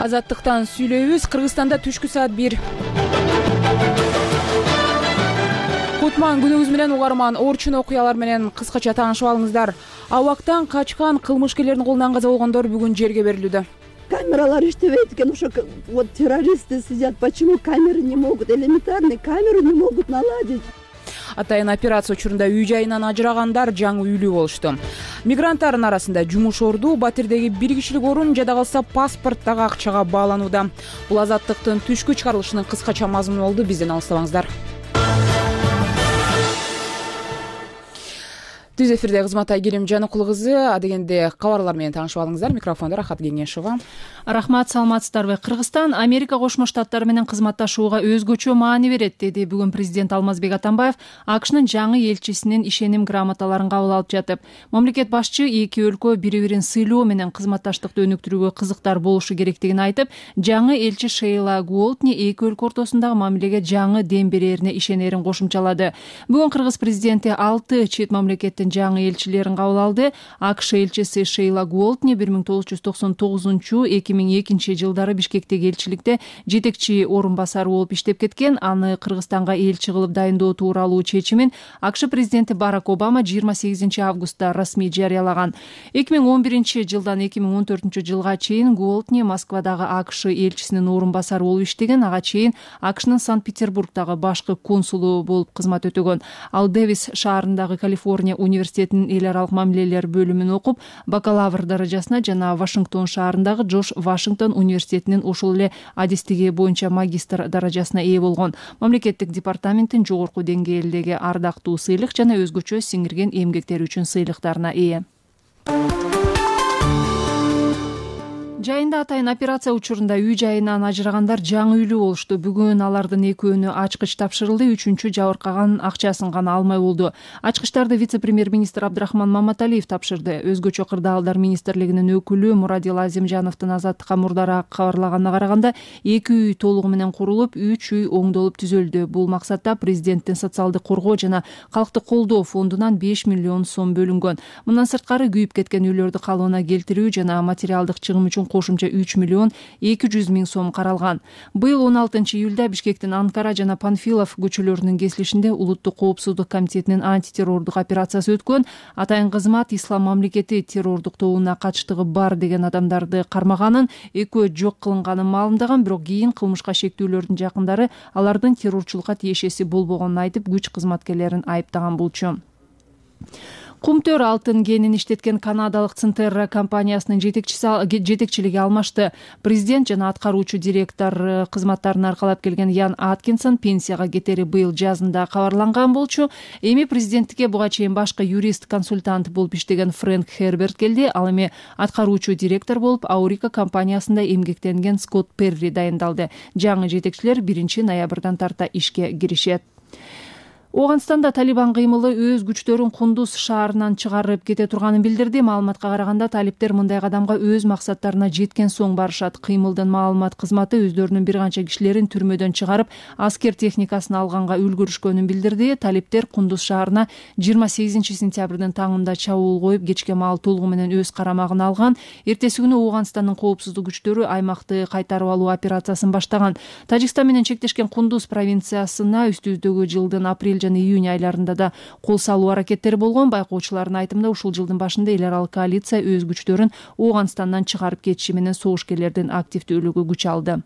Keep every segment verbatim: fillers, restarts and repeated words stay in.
Азаттыктан сүйлөйбүз. Кыргызстанда түшкү саат бир. Кутман күнүңүз менен угарман. Орчун окуялар менен кыскача таанышып алыңыздар. Абактан качкан кылмышкерлердин колунан каза болгондор бүгүн жерге берилүүдө. Камералар иштебейт экен, ошо вот террористы сидят. Почему камеры не могут? Элементарный камеру не могут наладить. Атайын операция учурунда үй жайынан ажырагандар жаңы үйлүү болушту. Мигранттардын арасында жумуш орду, батирдеги бир кишилик орун, жада калса паспорттагы акчага бааланууда. Бул азаттыктын түшкү чыгарылышынын кыскача мазмуну болду. Бизден алыстабаңыздар. Түз эфирде кызмат Айгерим Жаныкул кызы. Адегенде кабарлар менен таанышып алыңыздар. Микрофондо Рахат Кеңешова. Рахмат, саламатсыздарбы? Кыргызстан Америка Кошмо Штаттары менен кызматташууга өзгөчө маани берет, деди бүгүн президент Алмазбек Атамбаев АКШнын жаңы элчисинин ишеним грамоталарын кабыл алып жатып. Мамлекет башчы эки өлкө бири-бирин сыйлоо менен кызматташтыкты өнүктүрүүгө кызыктар болушу керектигин айтып, жаңы элчи Шейла Гуолтни эки өлкө ортосундагы мамилеге жаңы дем берерине ишенерин кошумчалады. Бүгүн Кыргыз президенти алты чет мамлекеттин жаңы элчилерин кабыл алды. АКШ элчиси Шейла Гуолтни бир миң тогуз жүз токсон тогузунчу эки миң экинчи жылдары Бишкектеги элчиликте жетекчи орун басары болуп иштеп кеткен. Аны Кыргызстанга элчи кылып дайындоо тууралуу чечимин АКШ президенти Барак Обама жыйырма сегизинчи августта расмий жарыялаган. эки миң он биринчи жылдан эки миң он төртүнчү жылга чейин Гуолтни Москвадагы АКШ элчисинин орун басары болуп иштеген. Ага чейин АКШнын Санкт-Петербургдагы башкы консулу болуп кызмат өтөгөн. Ал Дэвис шаарындагы Калифорния университетинин эл аралык мамилелер бөлүмүн окуп, бакалавр даражасына жана Вашингтон шаарындагы Джордж Вашингтон университетинин ошол эле адистиги боюнча магистр даражасына ээ болгон. Мамлекеттик департаменттин жогорку деңгээлдеги ардактуу сыйлык жана өзгөчө сиңирген эмгектери үчүн сыйлыктарына ээ. Жайында атайын операция учурунда үй жайынан ажырагандар жаңы үйлүү болушту. Бүгүн алардын экөөнү ачкыч тапшырылды, үчүнчү жабыркаган акчасын гана алмай болду. Ачкычтарды вице-премьер-министр Абдрахман Маматалиев тапшырды. Өзгөчө кырдаалдар министрлигинин өкүлү Мурадил Азимжановдун Азаттыкка мурдараак кабарлаганына караганда эки үй толугу менен курулуп, үч үй оңдолуп түзөлдү. Бул максатта президенттин социалдык коргоо жана калкты колдоо фондунан беш миллион сом бөлүнгөн. Мындан сырткары күйүп кеткен үйлөрдү калыбына келтирүү жана материалдык чыгым үчүн кошумча үч миллион эки жүз миң сом каралган. Быйыл он алтынчы июлда Бишкектин Анкара жана Панфилов көчөлөрүнүн кесилишинде Улуттук коопсуздук комитетинин антитеррордук операциясы өткөн. Атайын кызмат Ислам мамлекети террордук тобуна катыштыгы бар деген адамдарды кармаганын, экөө жок кылынганын маалымдаган, бирок кийин кылмышка шектүүлөрдүн жакындары алардын террорчулукка тиешеси болбогонун айтып, күч кызматкерлерин айыптаган болчу. Кумтөр алтын кенин иштеткен канадалык Центерра компаниясынын жетекчилиги алмашты. Президент жана аткаруучу директор кызматтарын аркалап келген Ян Аткинсон пенсияга кетери быйыл жазында кабарланган болчу. Эми президенттикке буга чейин башкы юрист-консультант болуп иштеген Фрэнк Херберт келди. Ал эми аткаруучу директор болуп Аурика компаниясында эмгектенген Скотт Перри дайындалды. Жаңы жетекчилер биринчи ноябрдан тарта ишке киришет. Оганстанда Талибан кыймылы өз күчтөрүн Кундуз шаарынан чыгарып кете турганын билдирди. Маалыматка караганда талиптер мындай кадамга өз максаттарына жеткен соң барышат. Кыймылдын маалымат кызматы өздөрүнүн бир канча кишилерин түрмөдөн чыгарып, аскер техникасын алганга үлгүрүшкөнүн билдирди. Талиптер Кундуз шаарына жыйырма сегизинчи сентябрдын таңында чабуул коюп, кечке маал толугу менен өз карамагына алган. Эртеси күнү Оганстандын коопсуздук күчтөрү аймакты кайтарып алуу операциясын баштаган. Тажикстан менен чектешкен Кундуз провинциясына үстүбүздөгү жылдын апрель жана июнь айларында да кол салуу аракеттери болгон. Байкоочулардын айтымында ушул жылдын башында эл аралык коалиция өз күчтөрүн Оганстандан чыгарып кетиши менен согушкерлердин активдүүлүгү күч алды.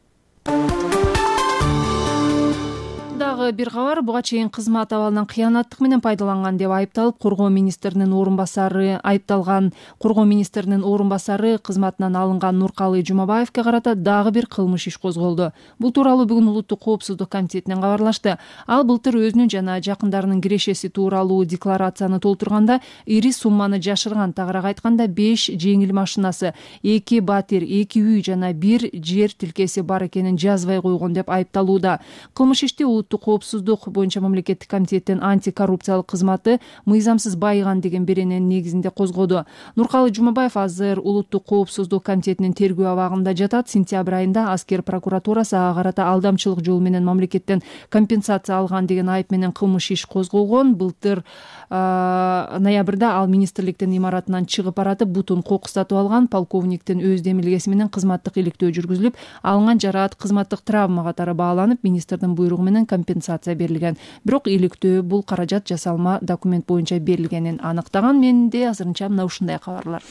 Дагы бир кабар, буга чейин кызмат абалынан кыянаттык менен пайдаланган деп айыпталып, коргоо министринин орун басары айыпталган коргоо министринин орун басары кызматынан алынган Нуркалы Жумабаевке карата дагы бир кылмыш иш козголду. Бул тууралуу бүгүн Улуттук коопсуздук комитетинен кабарлашты. Ал былтыр өзүнүн жана жакындарынын кирешеси тууралуу декларацияны толтурганда ири сумманы жашырган. Тагыраак айтканда беш жеңил машинасы, эки батир, эки үй жана бир жер тилкеси бар экенин жазбай койгон деп айыпталууда. Кылмыш ишти Улуттук коопсуздук боюнча мамлекеттик комитеттин антикоррупциялык кызматы мыйзамсыз байыган деген берененин негизинде козгоду. Нуркалы Жумабаев азыр улуттук коопсуздук комитетинин тергөө абагында жатат. Сентябрь айында аскер прокуратурасы ага карата алдамчылык жолу менен мамлекеттен компенсация алган деген айып менен кылмыш иш козголгон. Былтыр ноябрда ал министрликтин имаратынан чыгып баратып бутун кокустатып алган. Полковниктин өз демилгеси менен кызматтык иликтөө жүргүзүлүп, алынган жараат кызматтык травма катары бааланып, министрдин буйругу менен компенсация берилген. Бирок иликтөө бул каражат жасалма документ боюнча берилгенин аныктаган. Менде азырынча мына ушундай кабарлар.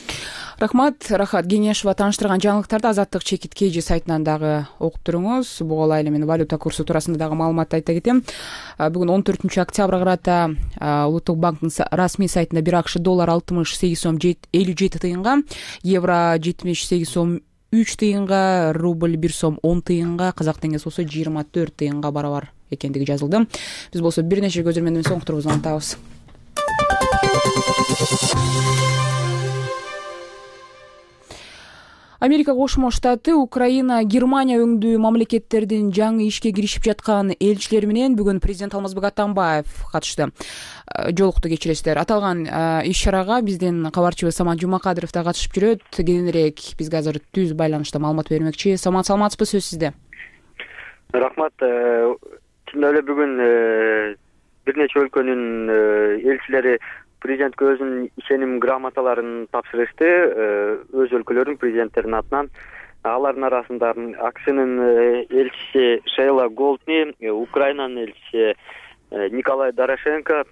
Рахмат, Рахат Кеңешова тааныштырган жаңылыктарды Азаттык чекит kg сайтынан дагы окуп туруңуз. Буга ылайык эле валюта курсу туурасында дагы маалымат айта кетем. Бүгүн он төртүнчү октябрга карата Улуттук банктын расмий сайтында бир акш доллар алтымыш сегиз сом элүү жети тыйынга, евро жетимиш сегиз сом үч тыйынга, рубль бир сом он тыйынга, казак теңгеси болсо жыйырма төрт тыйынга барабар экендиги жазылды. Биз болсо бир нече көзөрмөнү менен соңуктурубузду антабыз. Америка Кошмо Штаты, Украина, Германия өңдүү мамлекеттердин жаңы ишке киришип жаткан элчилери менен бүгүн президент Алмазбек Атамбаев катышты. Жолукту кечиресиздер. Аталган иш-чарага биздин кабарчыбыз Самат Жумакадыров да катышып жүрөт. Кийинирээк бизге азыр түз байланышта маалымат бермекчи. Самат, саламатсызбы, сөз сизде. Рахмат. Чындап эле бүгүн бир нече өлкөнүн элчилери президентке өзүнүн ишеним грамоталарын тапшырышты. Өз өлкөлөрүнүн президенттеринин атынан. Алардын арасында АКШнын элчиси Шейла Голдни, Украинанын элчиси Николай Дорошенко,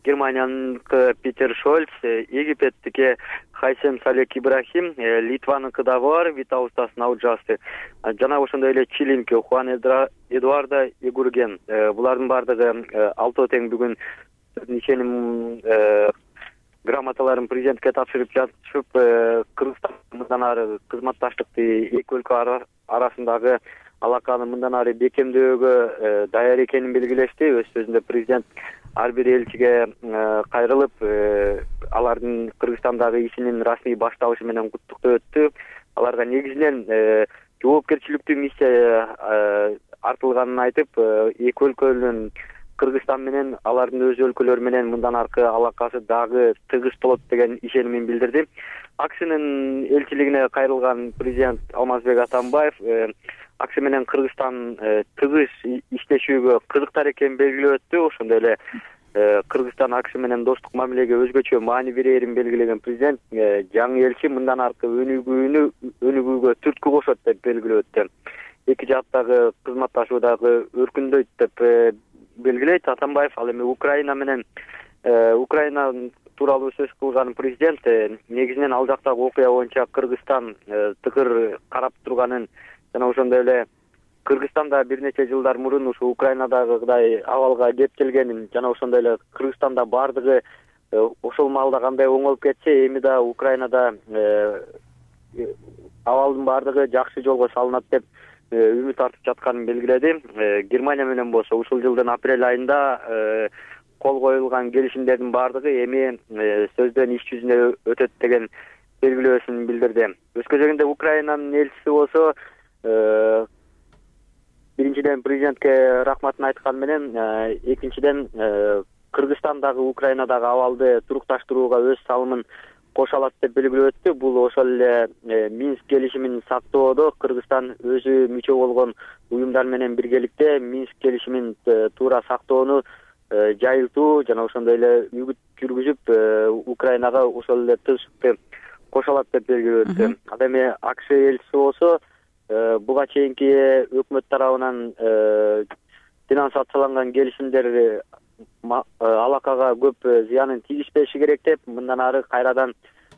Германиянын Питер Шольц, Египеттики Хайсем Салек Ибрахим, Литваныкы дагы бар, Витаустас Науджасты, жана ошондой эле Чилинки Хуан Эдуардо Эгурген. Булардын баардыгы алтоо тең бүгүн ишеним грамоталарын президентке тапшырып жатышып, Кыргызстан мындан ары кызматташтыкты эки өлкө арасындагы алаканы мындан ары бекемдөөгө даяр экенин белгилешти. Өз сөзүндө президент ар бир элчиге кайрылып, алардын Кыргызстандагы ишинин расмий башталышы менен куттуктап өттү. Аларга негизинен жоопкерчиликтүү миссия артылганын айтып, эки өлкөнүн Кыргызстан менен алардын өз өлкөлөрү менен мындан аркы алакасы дагы тыгыз болот деген ишенимин билдирди. АКШнын элчилигине кайрылган президент Алмазбек Атамбаев АКШ менен Кыргызстан тыгыз иштешүүгө кызыктар экенин белгилеп өттү. Ошондой эле Кыргызстан АКШ менен достук мамилеге өзгөчө маани берерин белгилеген президент жаңы элчи мындан аркы өнүгүүнү өнүгүүгө түрткү кошот деп белгилеп өттү. Эки жактагы кызматташуу дагы өркүндөйт деп белгилейт Атамбаев. Ал эми Украина менен Украина тууралуу сөз кылган президент негизинен ал жактагы окуя боюнча Кыргызстан тыкыр карап турганын жана ошондой эле Кыргызстанда бир нече жылдар мурун ушу Украинадагыдай абалга кеп келгенин жана ошондой эле Кыргызстанда баардыгы ошол маалда кандай оңолуп кетсе, эми да Украинада абалдын баардыгы жакшы жолго салынат деп үмүт артып жатканын белгиледи. Германия менен болсо ушул жылдын апрель айында кол коюлган келишимдердин баардыгы эми сөздөн иш жүзүнө өтөт деген белгилөөсүн билдирди. Өз кезегинде Украинанын элчиси болсо биринчиден президентке рахматын айткан менен, экинчиден Кыргызстандагы Украинадагы абалды турукташтырууга өз салымын кошо алат деп белгилеп өттү. Бул ошол эле Минск келишимин сактоодо Кыргызстан өзү мүчө болгон уюмдар менен биргеликте Минск келишимин туура сактоону жайылтуу жана ошондой эле үгүт жүргүзүп Украинага ошол эле тынчтыкты кошо алат деп белгилеп өттү. Ал эми АКШ элчиси болсо буга чейинки өкмөт тарабынан финансацияланган келишимдер алакага көп зыянын тийгизбеши керек деп, мындан ары кайрадан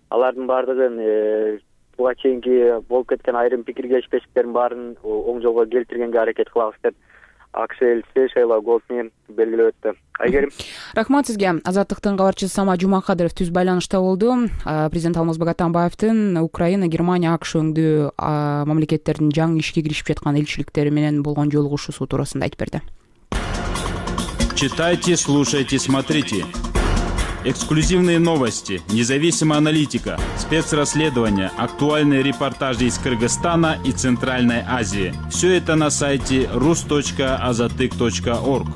алардын баардыгын буга чейинки болуп кеткен айрым пикир келишпештиктердин баарын оң жолго келтиргенге аракет кылабыз деп АКШ элчиси Шейла Голдни белгилеп өттү. Айгерим. Рахмат сизге. Азаттыктын кабарчысы Самат Жумакадыров түз байланышта болду. Президент Алмазбек Атамбаевдин Украина, Германия, АКШ өңдүү мамлекеттердин жаңы ишке киришип жаткан элчиликтери менен болгон жолугушуусу туурасында айтып берди. Читайте, слушайте, смотрите. Эксклюзивные новости, независимая аналитика, спецрасследования, актуальные репортажи из Кыргызстана и Центральной Азии. Все это на сайте рус точка азатык точка орг.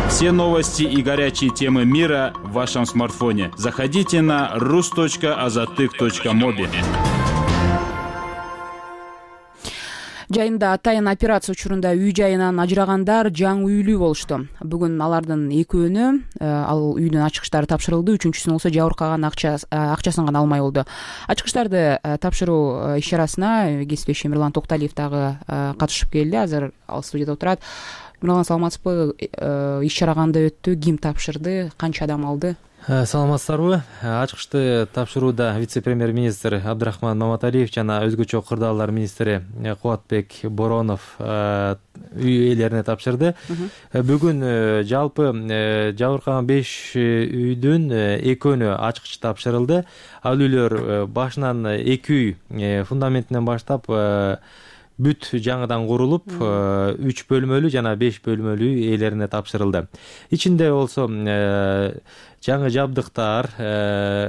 Все новости и горячие темы мира в вашем смартфоне. Заходите на рус точка азатык точка моби. Жайында атайын операция учурунда үй жайынан ажырагандар жаңы үйлүү болушту. Бүгүн алардын экөөнү ал үйдүн ачкычтары тапшырылды, үчүнчүсүнүн болсо жабыркаган акчасын гана алмай болду. Ачкычтарды тапшыруу иш чарасына кесиптешим Мирлан Токталиев дагы катышып келди. Азыр ал студияда отурат. Мирлан, саламатсызбы? Иш чара кандай өттү? Ким тапшырды? Канча адам алды? Саламатсыздарбы? Ачкычты тапшырууда вице-премьер-министр Абдрахман Маматалиев жана өзгөчө кырдаалдар министри Кубатбек Боронов үй ээлерине тапшырды. Бүгүн жалпы жабыркаган беш үйдүн экөөнү ачкыч тапшырылды. Ал үйлөр башынан эки үй фундаментинен баштап бүт жаңыдан курулуп, үч бөлмөлүү жана беш бөлмөлүү ээлерине тапшырылды. Ичинде болсо жаңы жабдыктар,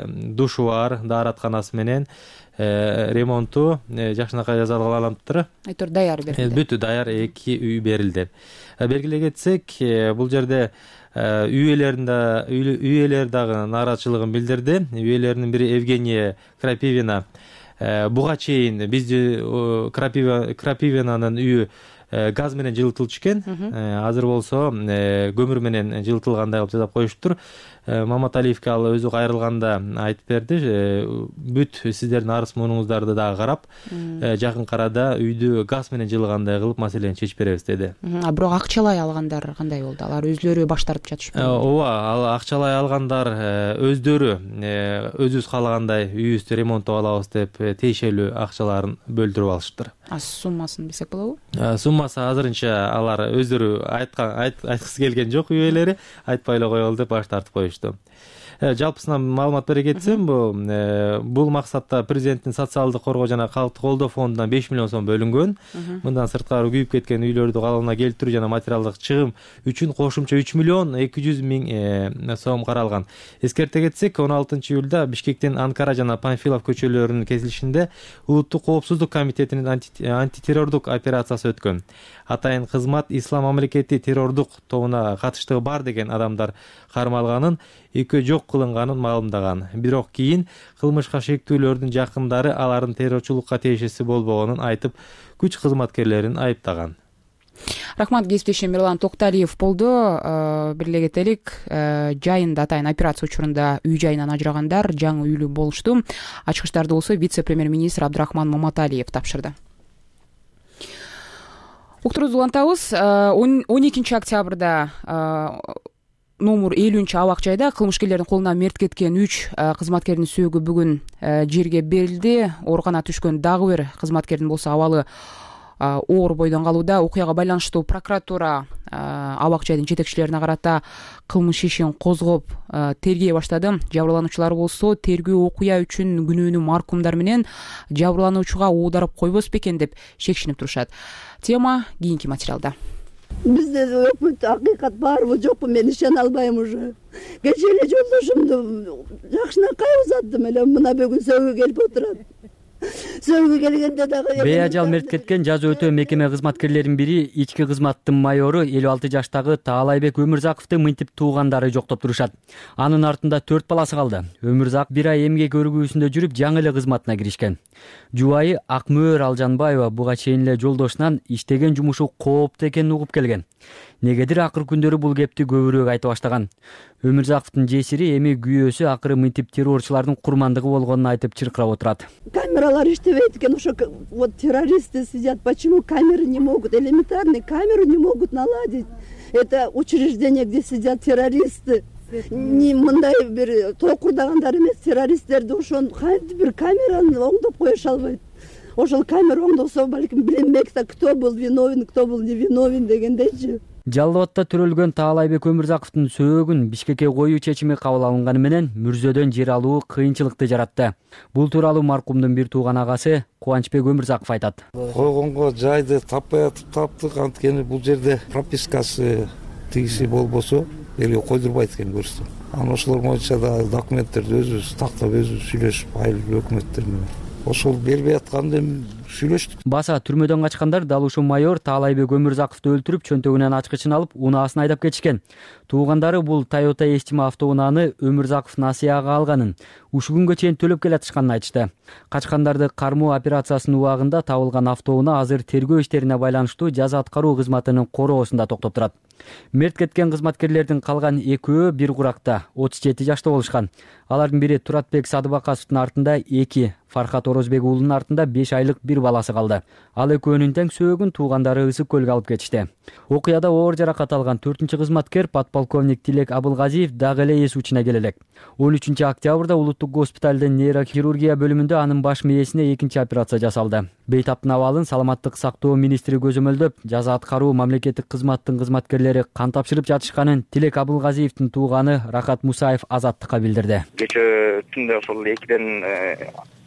душу бар, дааратканасы менен ремонту жакшынакай жасалган. Айтор даяр берилди. Бүт даяр эки үй берилди. Белгилей кетсек, бул жерде үй ээлеринде үй ээлери дагы нааразычылыгын билдирди. Үй ээлеринин бири Евгения Крапивина буга чейин бизди Крапивинанын үйү газ менен жылытылчу экен. Азыр болсо көмүр менен жылытылгандай кылып жасап коюшуптур. Маматалиевке ал өзү кайрылганда айтып берди. Бүт сиздердин арыз муңуңуздарды дагы карап, жакын арада үйдү газ менен жылыгандай кылып маселени чечип беребиз деди. А бирок акчалай алгандар кандай болду? Алар өзлөрү баш тартып жатышпы? Ооба, ал акчалай алгандар өздөрү өзүбүз каалагандай үйүбүздү ремонттоп алабыз деп тиешелүү акчаларын бөлдүрүп алышыптыр. А суммасын билсек болобу? Суммасы азырынча алар өздөрү айткан айткысы келген жок, үй ээлери айтпай эле коелу деп баш тартып коюшту. Жалпысынан маалымат бере кетсем, бул максатта президенттин социалдык коргоо жана калкты колдоо фондунан беш миллион сом бөлүнгөн. Мындан сырткары күйүп кеткен үйлөрдү калыбына келтирүү жана материалдык чыгым үчүн кошумча үч миллион эки жүз миң сом каралган. Эскерте кетсек, он алтынчы июлда Бишкектин Анкара жана Панфилов көчөлөрүнүн кесилишинде Улуттук коопсуздук комитетинин антитеррордук операциясы өткөн. Атайын кызмат Ислам мамлекети террордук тобуна катыштыгы бар деген адамдар кармалганын, экөө жок кылынганын маалымдаган. Бирок кийин кылмышка шектүүлөрдүн жакындары алардын террорчулукка тиешеси болбогонун айтып, күч кызматкерлерин айыптаган. Рахмат, кесиптешим Мирлан Токталиев болду. Бирле кетелик, жайында атайын операция учурунда үй жайынан ажырагандар жаңы үйлүү болушту. Ачкычтарды болсо вице-премьер-министр Абдрахман Маматалиев тапшырды. Уктурубузду улантабыз. он экинчи октябрда номер элүүнчү абак жайда кылмышкерлердин колуна мерт кеткен үч кызматкердин сөөгү бүгүн жерге берилди. Оорукана түшкөн дагы бир кызматкердин болсо абалы оор бойдон калууда. Окуяга байланыштуу прокуратура абак жайдын жетекчилерине карата кылмыш ишин козгоп тергей баштады. Жабырлануучулар болсо тергөө окуя үчүн күнөөнү маркумдар менен жабырлануучуга оодарып койбос бекен деп шекшинип турушат. Тема кийинки материалда. Бизде өкмөт акыйкат барбы жокпу, мен ишене албайм уже. Кечээ эле жолдошумду жакшынакай узаттым эле, мына бүгүн сөөгө келип отурат. Сөөгө келгенде дагы беажал мерт кеткен жаза өтөө мекеме кызматкерлеринин бири ички кызматтын майору элүү алты жаштагы Таалайбек Өмүрзаковду мынтип туугандары жоктоп турушат. Анын артында төрт баласы калды. Өмүрзаков бир ай эмгек өргүүсүндө жүрүп жаңы эле кызматына киришкен. Жубайы Акмөөр Алжанбаева буга чейин эле жолдошунан иштеген жумушу кооптуу экенин угуп келген. Негедир акыркы күндөрү бул кепти көбүрөөк айта баштаган. Өмүрзаковдун жесири эми күйөөсү акыры мынтип террорчулардын курмандыгы болгонун айтып чыркырап отурат. Камералар иштебейт экен, ошо вот террористы сидят. Почему камеры не могут, элементарные камеру не могут наладить? Это учреждение, где сидят террористы. Не мындай бир токурдагандар эмес, террористтерди ошон кантип бир камераны оңдоп коюша албайт. Ошол камера оңдосо балким билинбек да, кто был виновен, кто был невиновен дегендейчи. Жалал абадта төрөлгөн Таалайбек Өмүрзаковдун сөөгүн Бишкекке коюу чечими кабыл алынганы менен мүрзөдөн жер алуу кыйынчылыкты жаратты. Бул тууралуу маркумдун бир тууган агасы Кубанычбек Өмүрзаков айтат. Койгонго жайды таппай атып таптык, анткени бул жерде пропискасы тигиси болбосо элге койдурбайт экен көрсө. анан ошолор боюнча дагы документтерди өзүбүз тактап өзүбүз сүйлөшүп айыл өкмөттөр менен ошол бербей атканда эми сүйлөштүк. Баса түрмөдөн качкандар дал ушул майор Таалайбек Өмүрзаковду өлтүрүп, чөнтөгүнөн ачкычын алып, унаасын айдап кетишкен. Туугандары бул Toyota эстиме автоунааны Өмүрзаков насыяга алганын, ушул күнгө чейин төлөп келатышканын айтышты. Качкандарды кармоо операциясынын убагында табылган автоунаа азыр тергөө иштерине байланыштуу жаза аткаруу кызматынын короосунда токтоп турат. Мерт кеткен кызматкерлердин калган экөө бир куракта отуз жети жашта болушкан. Алардын бири Туратбек Садыбаковдун артында эки, Фархат Орозбек уулунун артында беш айлык бир баласы калды. Ал экөөнүн тең сөөгүн туугандары Ысык көлгө алып кетишти. Окуяда оор жаракат алган төртүнчү кызматкер подполковник Тилек Абылгазиев дагы эле эс учуна келелек. он үчүнчү октябрда улуттук госпиталдын нейрохирургия бөлүмүндө анын баш мээсине экинчи операция жасалды. Бейтаптын абалын саламаттык сактоо министри көзөмөлдөп, жаза аткаруу мамлекеттик кызматтын кызматкерлери кан тапшырып жатышканын Тилек Абылгазиевдин тууганы Рахат Мусаев Азаттыкка билдирди. Кечээ түндө ошол экиден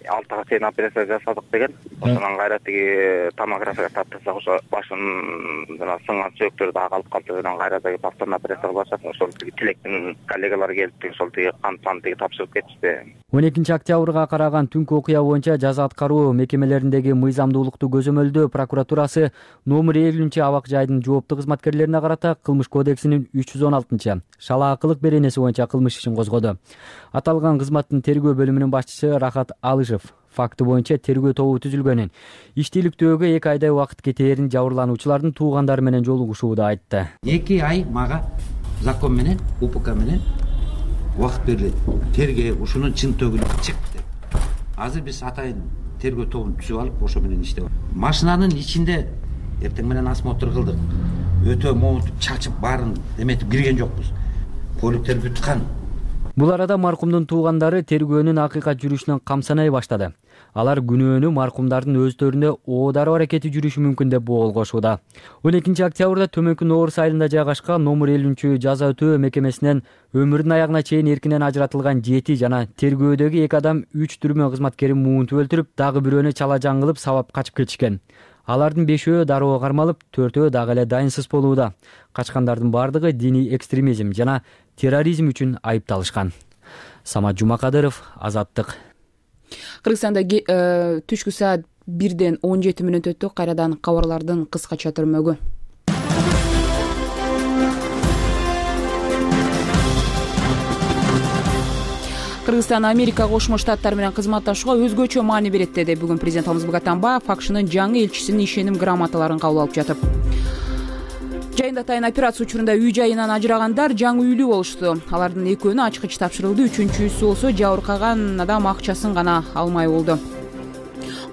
алтыга чейин операция жасадык деген. Ошонун кайра тиги томография таптырсак ошо башын жана сынган сөөктөр дагы калып калды деген кайра тиги повторно операция кылышат. Ошол тиги Тилектин коллегалары келип ошол тиги кан пан тиги тапшырып кетишти. он экинчи октябрга караган түнкү окуя боюнча жаза аткаруу мекемелериндеги мыйзамдуулукту көзөмөлдөө прокуратурасы номер элүүнчү абак жайдын жооптуу кызматкерлерине карата Кылмыш кодексинин үч жүз он алтынчы шалаакылык беренеси боюнча кылмыш ишин козгоду. Аталган кызматтын тергөө бөлүмүнүн башчысы Рахат Алышев факты боюнча тергөө тобу түзүлгөнүн, иштийликтөөгө эки айдай убакыт кетээрин жабырлануучулардын туугандары менен жолугушууда айтты. эки ай мага закон менен УПК менен убакыт берилет. Тергөө ушунун чын төгүнү чык деп. Азыр биз атайын тергөө тобун түзүп алып, ошо менен иштеп атабыз. Машинанын ичинде эртең менен осмотр кылдык. Өтө момунтуп чачып баарын эметип кирген жокпуз. Көлүктөр бүткан. Бул арада маркумдун туугандары тергөөнүн акыйкат жүрүшүнөн камсанай баштады. Алар күнөөнү маркумдардын өздөрүнө оодаруу аракети жүрүшү мүмкүн деп болгошууда. он экинчи октябрда Төмөнкү Нооруз айылында жайгашкан номер элүүнчү жаза өтөө мекемесинен өмүрүнүн аягына чейин эркинен ажыратылган жети жана тергөөдөгү эки адам үч түрмө кызматкерин муунтуп өлтүрүп, дагы бирөөнү чала жан кылып сабап качып кетишкен. Алардын бешөө дароо кармалып, төртөө дагы эле дайынсыз болууда. Качкандардын бардыгы диний экстремизм жана терроризм үчүн айыпталышкан. Самат Жумакадыров, Азаттык. Кыргызстанда түшкү саат бирден он жети мүнөт өттү. Кайрадан кабарлардын кыскача түрмөгү. Кыргызстан Америка Кошмо Штаттары менен кызматташууга өзгөчө маани берет деди бүгүн президент Алмазбек Атамбаев АКШнын жаңы элчисинин ишеним грамоталарын кабыл алып жатып. Жайында атайын операция учурунда үй жайынан ажырагандар жаңы үйлүү болушту. Алардын экөөнү ачкыч тапшырылды, үчүнчүсү болсо жабыркаган адам акчасын гана алмай болду.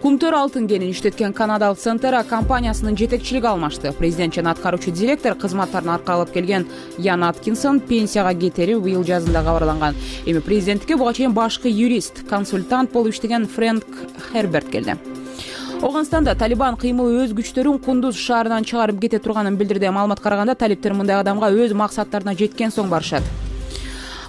Кумтөр алтын кенин иштеткен канадалык Сентера компаниясынын жетекчилиги алмашты. Президент жана аткаруучу директор кызматтарын аркалап келген Ян Аткинсон пенсияга кетери быйыл жазында кабарланган. Эми президенттикке буга чейин башкы юрист, консультант болуп иштеген Фрэнк Херберт келди. Оганстанда Талибан кыймыл өз күчтөрүн Кундуз шаарынан чыгарып кете турганын билдирди. Маалымат караганда талиптер мындай адамга өз максаттарына жеткен соң барышат.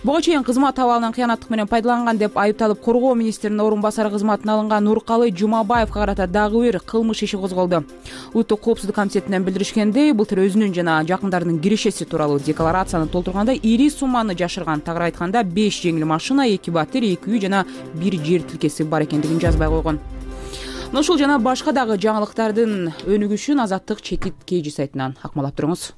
Буга чейин кызмат абалынан кыянаттык менен пайдаланган деп айыпталып коргоо министринин орун басары кызматына алынган Нуркалы Жумабаевга карата дагы бир кылмыш иши козголду. Улуттук коопсуздук комитетинен билдиришкендей, былтыр өзүнүн жана жакындарынын кирешеси тууралуу декларацияны толтурганда ири сумманы жашырган. Тагыраак айтканда беш жеңил машина, эки батир, эки үй жана бир жер тилкеси бар экендигин жазбай койгон. Ушул жана башка дагы жаңылыктардын өнүгүшүн Азаттык чекит кж сайтынан акмалап туруңуз.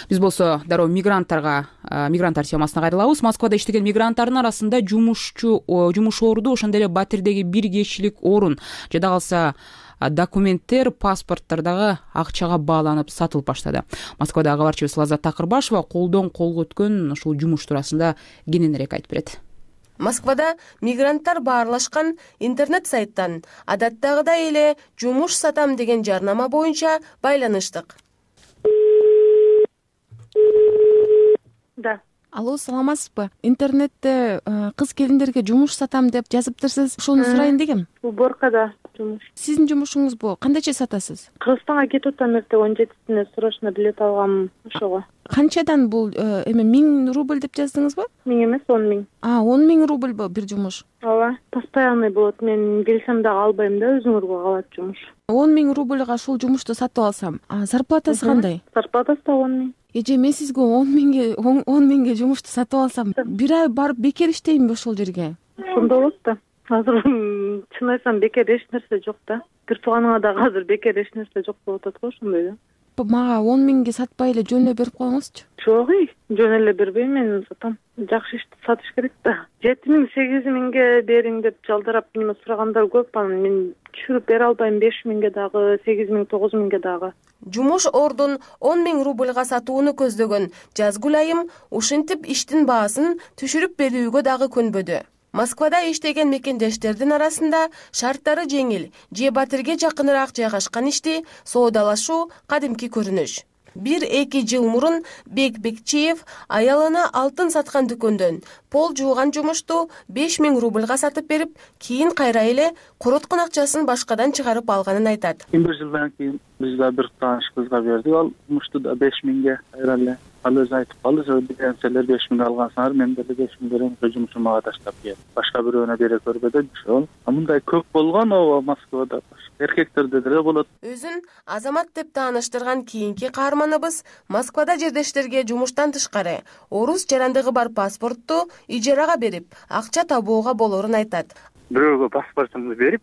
Биз болсо дароо мигранттарга, мигранттар темасына кайрылабыз. Москвада иштеген мигранттардын арасында жумушчу, жумушоорду, ошондой эле батирдеги бир кишилик орун, жада калса документтер, паспорттор дагы акчага бааланып сатылып баштады. Москвадагы кабарчыбыз Лаззат Такырбашева колдон колго өткөн ушул жумуш туурасында кененирээк айтып берет. Москвада мигранттар баарлашкан интернет сайттан адаттагыдай эле жумуш сатам деген жарнама боюнча байланыштык. Да. Алло, саламатсызбы? Интернетте кыз келиндерге жумуш сатам деп жазыптырсыз. Ошону сурайын дегем. Уборкада жумуш. Сиздин жумушуңузбу кандайча сатасыз? Кыргызстанга кетип атам, эрте он жетисине срочно билет алгам ошого. Канчадан бул эме миң рубль деп жаздыңызбы? Миң эмес, он миң. А, он миң рубльбы бир жумуш? Ооба, постоянный болот. Мен келсем дагы албайм да, өзүңөргө калат жумуш. он миң рубльга ушул жумушту сатып алсам, а зарплатасы кандай? Зарплатасы да он миң. Эже, мен сизге он миңге он миңге жумушту сатып алсам, бир ай барып бекер иштеймби ошол жерге? Ошондой болот да. Азыр чын айтсам бекер эч нерсе жок да. Бир тууганыңа дагы азыр бекер эч нерсе жок болуп атат го, ошондой да. Мага он миңге сатпай эле жөн эле берип коюңузчу. Жок, жөн эле бербейм, мен сатам. Жакшы ишти сатыш керек да. жети миң, сегиз миңге бериң деп жалдарап неме сурагандар көп. Анан мен түшүрүп бере албайм, беш миңге дагы, сегиз миң, тогуз миңге дагы. Жумуш ордун он миң рубльга сатууну көздөгөн Жазгүл айым ушинтип иштин баасын түшүрүп берүүгө дагы көнбөдү. Москвада иштеген мекендештердин арасында шарттары жеңил же Батирге жакыныраак жайгашкан ишти соодалашуу кадимки көрүнүш. бир эки жыл мурун Бек Бекчиев аялына алтын саткан дүкөндөн пол жууган жумушту беш миң рубльга сатып берип, кийин кайра эле короткон акчасын башкадан чыгарып алганын айтат. бир жылдан кийин биз да бир тааныш кызга бердик, ал жумушту да беш миңге кайра эле. Ал өзү айтып калды, биринчилер беш миң алгансыңар, мен деле беш миң берем, жумушум мага таштап кел. Башка бирөөнө бере көрбө деп ошол. Мындай көп болгон ооба Москвада. Эркектерде деле болот. Өзүн Азамат деп тааныштырган кийинки каарманыбыз Москвада жердештерге жумуштан тышкары орус жарандыгы бар паспортту ижарага берип, акча табууга болорун айтат. Бирөөгө паспортумду берип,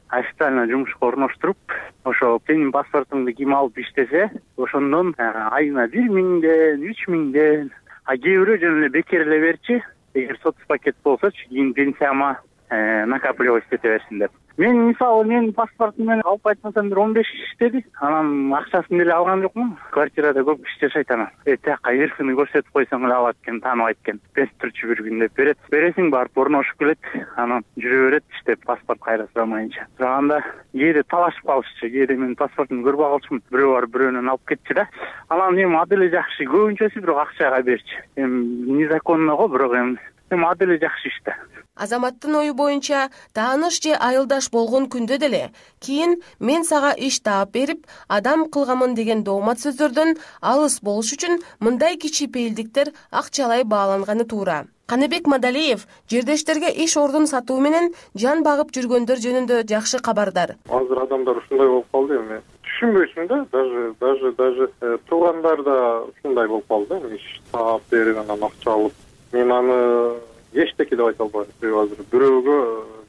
официально жумушка орноштуруп, ошо сенин паспортуңду ким алып иштесе, ошондон айына бир миңден, үч миңден, а кээ бирөө жөн эле бекер эле берчи, эгер соцпакет болсочу, кийин пенсияма накапливать эте берсин деп. Мен мисалы менин паспортум менен алып айтмасам бир он беш иштеди. Анан акчасын деле алган жокмун. Квартирада көп киши жашайт анан. Э, тияка эркини көрсөтүп койсоң эле алат экен, тааныбайт экен. Бес турчу бир күн деп берет. Бересиң барып орношуп келет. Анан жүрө берет иштеп, паспорт кайра сурамайынча. Сураганда кээде талашып калышчу, кээде менин паспортумду көрбөй калчумун. Бирөө барып бирөөнөн алып кетчү да. Анан эми аделе жакшы, көбүнчөсү бирок акчага берчи. Эми незаконно го, бирок эми эми аделе жакшы иш да. Азаматтын ою боюнча, тааныш же айылдаш болгон күндө деле кийин мен сага иш таап берип, адам кылгамын деген доомат сөздөрдөн алыс болуш үчүн мындай кичипейилдиктер акчалай бааланганы туура. Каныбек Мадалиев жердештерге иш ордун сатуу менен жан багып жүргөндөр жөнүндө жакшы кабардар. Азыр адамдар ушундай болуп калды эми. Түшүнбөйсүң да, даже даже даже туугандар да ушундай болуп калды, иш таап берип анан акча алып. Мен аны эчтеке деп айта албайм. Азыр бирөөгө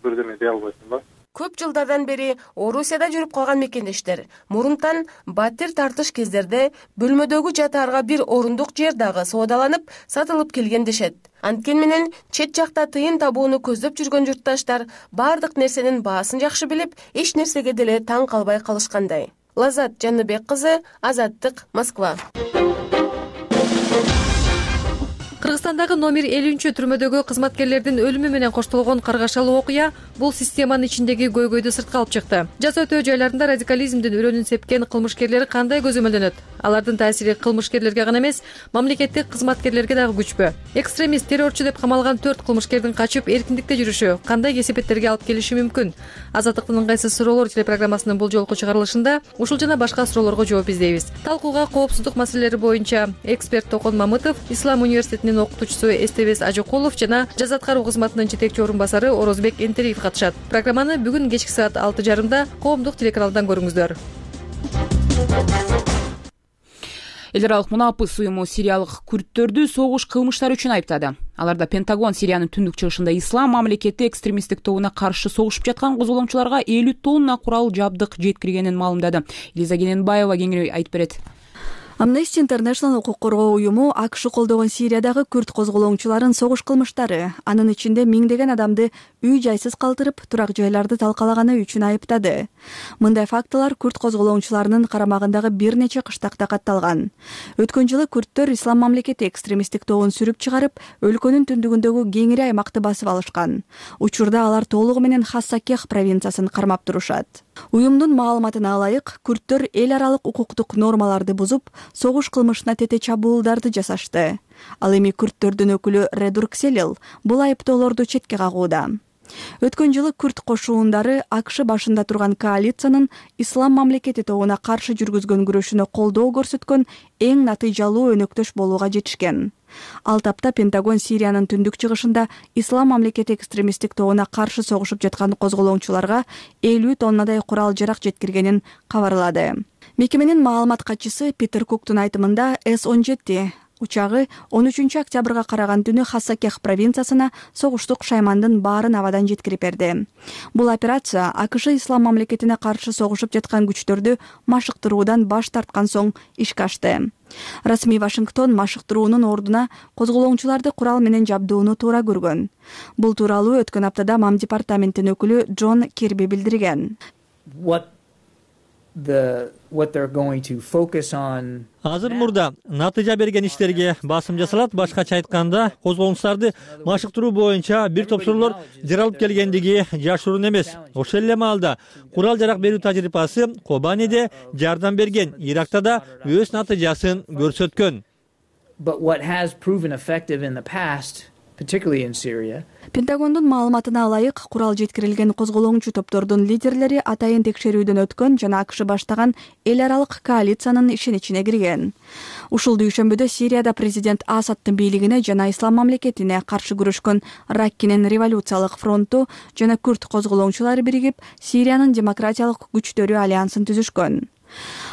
бирдеме дей албайсың да. Көп жылдардан бери Орусияда жүрүп калган мекендештер мурунтан батир тартыш кездерде бөлмөдөгү жатаарга бир орундук жер дагы соодаланып, сатылып келген дешет. Анткени менен чет жакта тыйын табууну көздөп жүргөн журтташтар бардык нерсенин баасын жакшы билип, эч нерсеге деле таң калбай калышкандай. Лазат Жаныбек кызы, Азаттык, Москва. Кыргызстандагы номер элүүнчү түрмөдөгү кызматкерлердин өлүмү менен коштолгон каргашалуу окуя бул системанын ичиндеги көйгөйдү сыртка алып чыкты. Жаза өтөө жайларында радикализмдин өрөөнүн сепкен кылмышкерлер кандай көзөмөлдөнөт? Алардын таасири кылмышкерлерге гана эмес, мамлекеттик кызматкерлерге дагы күчпү? Экстремист, террорчу деп камалган төрт кылмышкердин качып эркиндикте жүрүшү кандай кесепеттерге алып келиши мүмкүн? Азаттыктын ыңгайсыз суроолор телепрограммасынын бул жолку чыгарылышында ушул жана башка суроолорго жооп издейбиз. Талкууга коопсуздук маселелери боюнча эксперт Токон Мамытов, Ислам университетинин окутуучусу Эстебес Ажыкулов жана жаза аткаруу кызматынын жетекчи орун басары Орозбек Энтериев катышат. Программаны бүгүн кечки саат алты жарымда коомдук телеканалдан көрүңүздөр. Эл аралык мунапыс уюму сириялык күрдтөрдү согуш кылмыштары үчүн айыптады. Аларда Пентагон Сириянын түндүк чыгышында ислам мамлекети экстремисттик тобуна каршы согушуп жаткан козголомчуларга элүү тонна курал жабдык жеткиргенин маалымдады. Элиза Кененбаева кеңири айтып берет. Amnesty International укук коргоо уюму АКШ колдогон Сириядагы күрд козголоңчуларын согуш кылмыштары, анын ичинде миңдеген адамды үй жайсыз калтырып, турак жайларды талкалаганы үчүн айыптады. Мындай фактылар күрд козголоңчуларынын карамагындагы бир нече кыштакта катталган. Өткөн жылы күрдтөр ислам мамлекети экстремисттик тобун сүрүп чыгарып, өлкөнүн түндүгүндөгү кеңири аймакты басып алышкан. Учурда алар толугу менен Хассакех провинциясын кармап турушат. Уюмдун маалыматына ылайык, күрдтөр эл аралык укуктук нормаларды бузуп, согуш кылмышына тете чабуулдарды жасашты. Ал эми күрдтөрдүн өкүлү Редурк Селил бул айыптоолорду четке кагууда. Өткөн жылы күрд кошуундары АКШ башында турган коалициянын ислам мамлекети тобуна каршы жүргүзгөн күрөшүнө колдоо көрсөткөн эң натыйжалуу өнөктөш болууга жетишкен. Ал тапта Пентагон Сириянын түндүк чыгышында ислам мамлекети экстремисттик тобуна каршы согушуп жаткан козголоңчуларга элүү тоннадай курал жарак жеткиргенин кабарлады. Мекеменин маалымат катчысы Питер Куктун айтымында эс он жети учагы он үчүнчү октябрга караган түнү Хассакех провинциясына согуштук шаймандын баарын абадан жеткирип берди. Бул операция АКШ ислам мамлекетине каршы согушуп жаткан күчтөрдү машыктыруудан баш тарткан соң ишке ашты. Расмий Вашингтон машыктыруунун ордуна козголоңчуларды курал менен жабдууну туура көргөн. Бул тууралуу өткөн аптада МАМ департаментинин өкүлү Джон Кирби билдирген. Азыр мурда натыйжа берген иштерге басым жасалат. Башкача айтканда, козголоңчуларды машыктыруу боюнча бир топ суроолор жаралып келгендиги жашыруун эмес. Ошол эле маалда курал жарак берүү тажрыйбасы Кобаниде жардам берген, Иракта да өз натыйжасын көрсөткөн. Пентагондун маалыматына ылайык, курал жеткирилген козголоңчу топтордун лидерлери атайын текшерүүдөн өткөн жана АКШ баштаган эл аралык коалициянын ишеницине кирген. Ушул дүйшөмбүдө Сирияда президент Асадтын бийлигине жана ислам мамлекетине каршы күрөшкөн Раккинин революциялык фронту жана күрд козголоңчулары биригип Сириянын демократиялык күчтөрү альянсын түзүшкөн.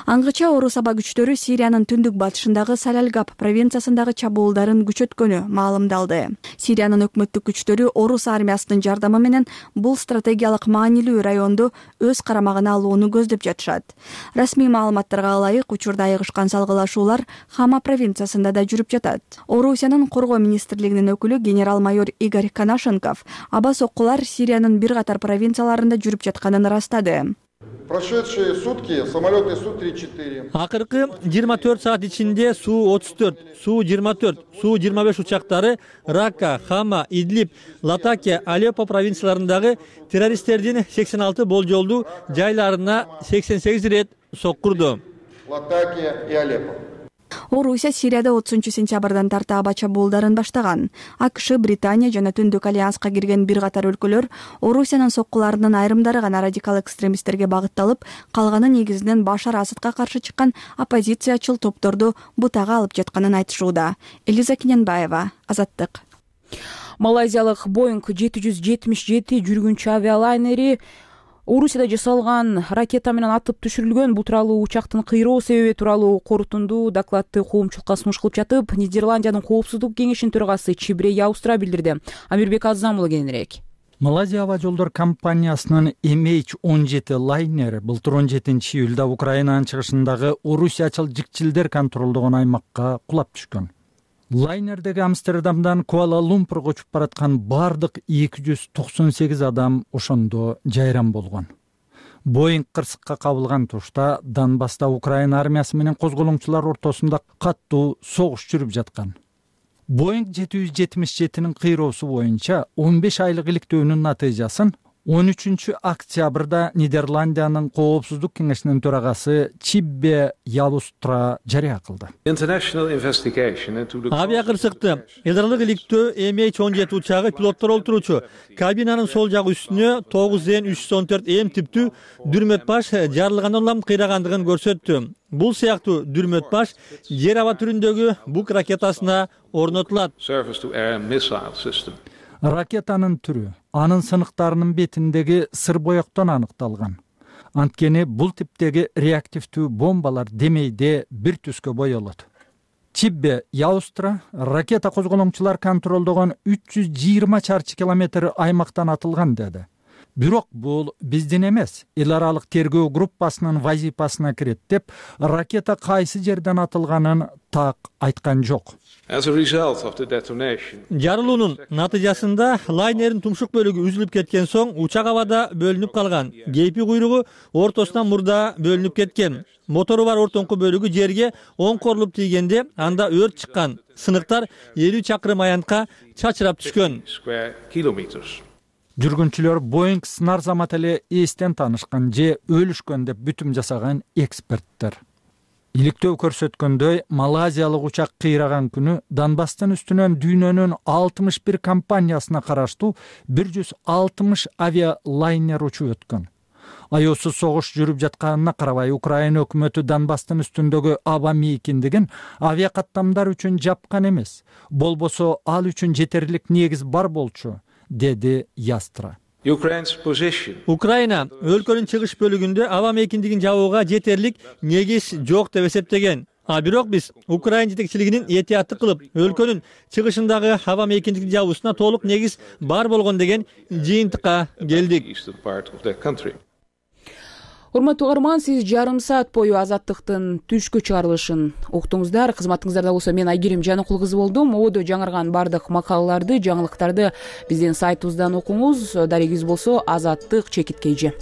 Аңгыча орус аба күчтөрү Сириянын түндүк батышындагы Салялгап провинциясындагы чабуулдарын күчөткөнү маалымдалды. Сириянын өкмөттүк күчтөрү орус армиясынын жардамы менен бул стратегиялык маанилүү районду өз карамагына алууну көздөп жатышат. Расмий маалыматтарга ылайык, учурда айыгышкан салгылашуулар Хама провинциясында да жүрүп жатат. Орусиянын коргоо министрлигинин өкүлү генерал-майор Игорь Конашенков аба соккулар Сириянын бир катар провинцияларында жүрүп жатканын ырастады. Прошедшие сутки самолеты Су тридцать четыре. Акыркы жыйырма төрт саат ичинде Су отуз төрт, Су жыйырма төрт, Су жыйырма беш учактары Ракка, Хама, Идлиб, Латакия, Алеппо провинцияларындагы террористтердин сексен алты болжолдуу жайларына сексен сегиз ирет соккурду. Латакия и Алеппо. Орусия Сирияда отузунчу сентябрдан тарта аба чабуулдарын баштаган. АКШ, Британия жана Түндүк альянска кирген бир катар өлкөлөр Орусиянын соккуларынын айрымдары гана радикал экстремисттерге багытталып, калганы негизинен Башар Асадка каршы чыккан оппозициячыл топторду бутага алып жатканын айтышууда. Элиза Киненбаева, Азаттык. Малайзиялык Боинг жети жүз жетимиш жети жүргүнчү авиалайнери Орусияда жасалган ракета менен атып түшүрүлгөн. Бул тууралуу учактын кыйроо себеби тууралуу корутундуу докладты коомчулукка сунуш кылып жатып, Нидерландиянын коопсуздук кеңешинин төрагасы Чибре Яустра билдирди. Амирбек Азам уулу кененирээк. Малайзия аба жолдор компаниясынын эм эйч он жети лайнери былтыр он жетинчи июлда Украинанын чыгышындагы орусиячыл жикчилдер контролдогон аймакка кулап түшкөн. Лайнердеги Амстердамдан Куала-Лумпурга учуп бараткан бардык эки жүз токсон сегиз адам ошондо жайран болгон. Боинг кырсыкка кабылган тушта Донбасста Украина армиясы менен козголоңчулар ортосунда каттуу согуш жүрүп жаткан. Боинг жети жүз жетимиш жетинин кыйроосу боюнча он беш айлык иликтөөнүн натыйжасын он үчүнчү октябрда Нидерландиянын коопсуздук кеңешинин төрагасы Чибре Яустра жарыя кылды. Авиакырсыкты эл аралык иликтөө эм эйч он жети учагы пилоттор олтуруучу кабинанын сол жак үстүнө тогуз эн үч жүз он төрт эм типтүү дүрмөт баш жарылгандан улам кыйрагандыгын көрсөттү. Бул сыяктуу дүрмөт баш жер аба түрүндөгү бук ракетасына орнотулат. Ракетанын түрү анын сыныктарынын бетиндеги сыр боектон аныкталган. Анткени бул типтеги реактивдүү бомбалар демейде бир түскө боелот. Чибре Яустра ракета козголоңчулар контролдогон үч жүз жыйырма чарчы километр аймактан атылган деди. Бирок бул биздин эмес, эл аралык тергөө группасынын вазифасына кирет деп, ракета кайсы жерден атылганын так айткан жок. Жарылуунун натыйжасында лайнердин тумшук бөлүгү үзүлүп кеткен соң учак абада бөлүнүп калган. Кейпи куйругу ортосунан мурда бөлүнүп кеткен. Мотору бар ортоңку бөлүгү жерге оң корулуп тийгенде анда өрт чыккан. Сыныктар элүү чакырым аянтка чачырап түшкөн. Жүргүнчүлөр Боинг сынар замат эле эстен таанышкан же өлүшкөн деп бүтүм жасаган эксперттер. иликтөө көрсөткөндөй малайзиялык учак кыйраган күнү Донбасстын үстүнөн дүйнөнүн алтымыш бир компаниясына караштуу бир жүз алтымыш авиалайнер учуп өткөн. Аяусуз согуш жүрүп жатканына карабай Украина өкмөтү Донбасстын үстүндөгү аба мейкиндигин авиакаттамдар үчүн жапкан эмес. Болбосо ал үчүн жетерлик негиз бар болчу, деди Ястра. Украина өлкөнүн чыгыш бөлүгүндө аба мейкиндигин жабууга жетерлик негиз жок деп эсептеген. А бирок биз Украина жетекчилигинин этиятты кылып, өлкөнүн чыгышындагы аба мейкиндигин жабуусуна толук негиз бар болгон деген жыйынтыкка келдик. Урматтуу угарман, сиз жарым саат бою Азаттыктын түшкү чыгарылышын уктуңуздар. Кызматыңыздарда болсо мен Айгерим Жаныкул кызы болдум. Ободо жаңырган бардык макалаларды, жаңылыктарды биздин сайтыбыздан окуңуз. Дарегиңиз болсо Азаттык чекит кей же.